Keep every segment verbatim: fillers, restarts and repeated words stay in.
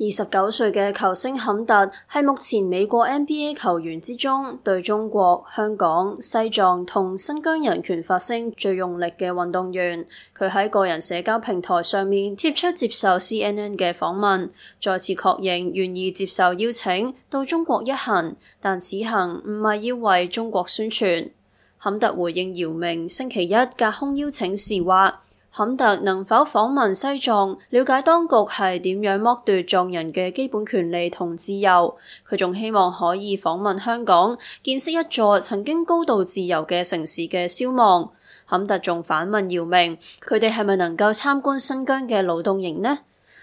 二十九歲嘅球星坎特係目前美國 N B A 球員之中對中國、香港、西藏同新疆人權發聲最用力嘅運動員。佢喺個人社交平台上面貼出接受 C N N 嘅訪問，再次確認願意接受邀請到中國一行，但此行唔係要為中國宣傳。坎特回應姚明星期一隔空邀請時話，坎特能否訪問西藏，了解當局係點樣剝奪藏人嘅基本權利同自由。佢仲希望可以訪問香港，見識一座曾經高度自由嘅城市嘅消亡。坎特仲反問姚明，佢哋係咪能夠參觀新疆嘅勞動營呢？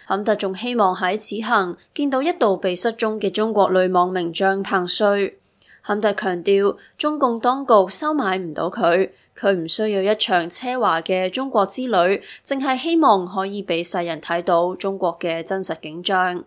坎特仲希望喺此行見到一度被失蹤嘅中國女網名將彭帥。坎特強調，中共當局收買唔到佢，佢唔需要一場奢華嘅中國之旅，淨係希望可以俾世人睇到中國嘅真實景象。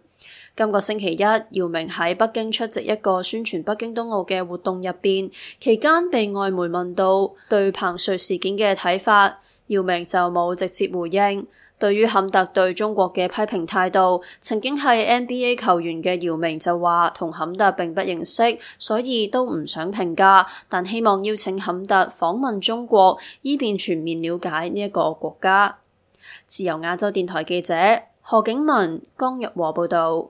今個星期一，姚明喺北京出席一個宣傳北京冬奧嘅活動入邊，期間被外媒問到對彭帥事件嘅睇法，姚明就冇直接回應。對於坎特對中國嘅批評態度，曾經係 N B A 球員嘅姚明就話同坎特並不認識，所以都唔想評價，但希望邀請坎特訪問中國，以便全面了解呢一個國家。自由亞洲電台記者何景文、江日和報道。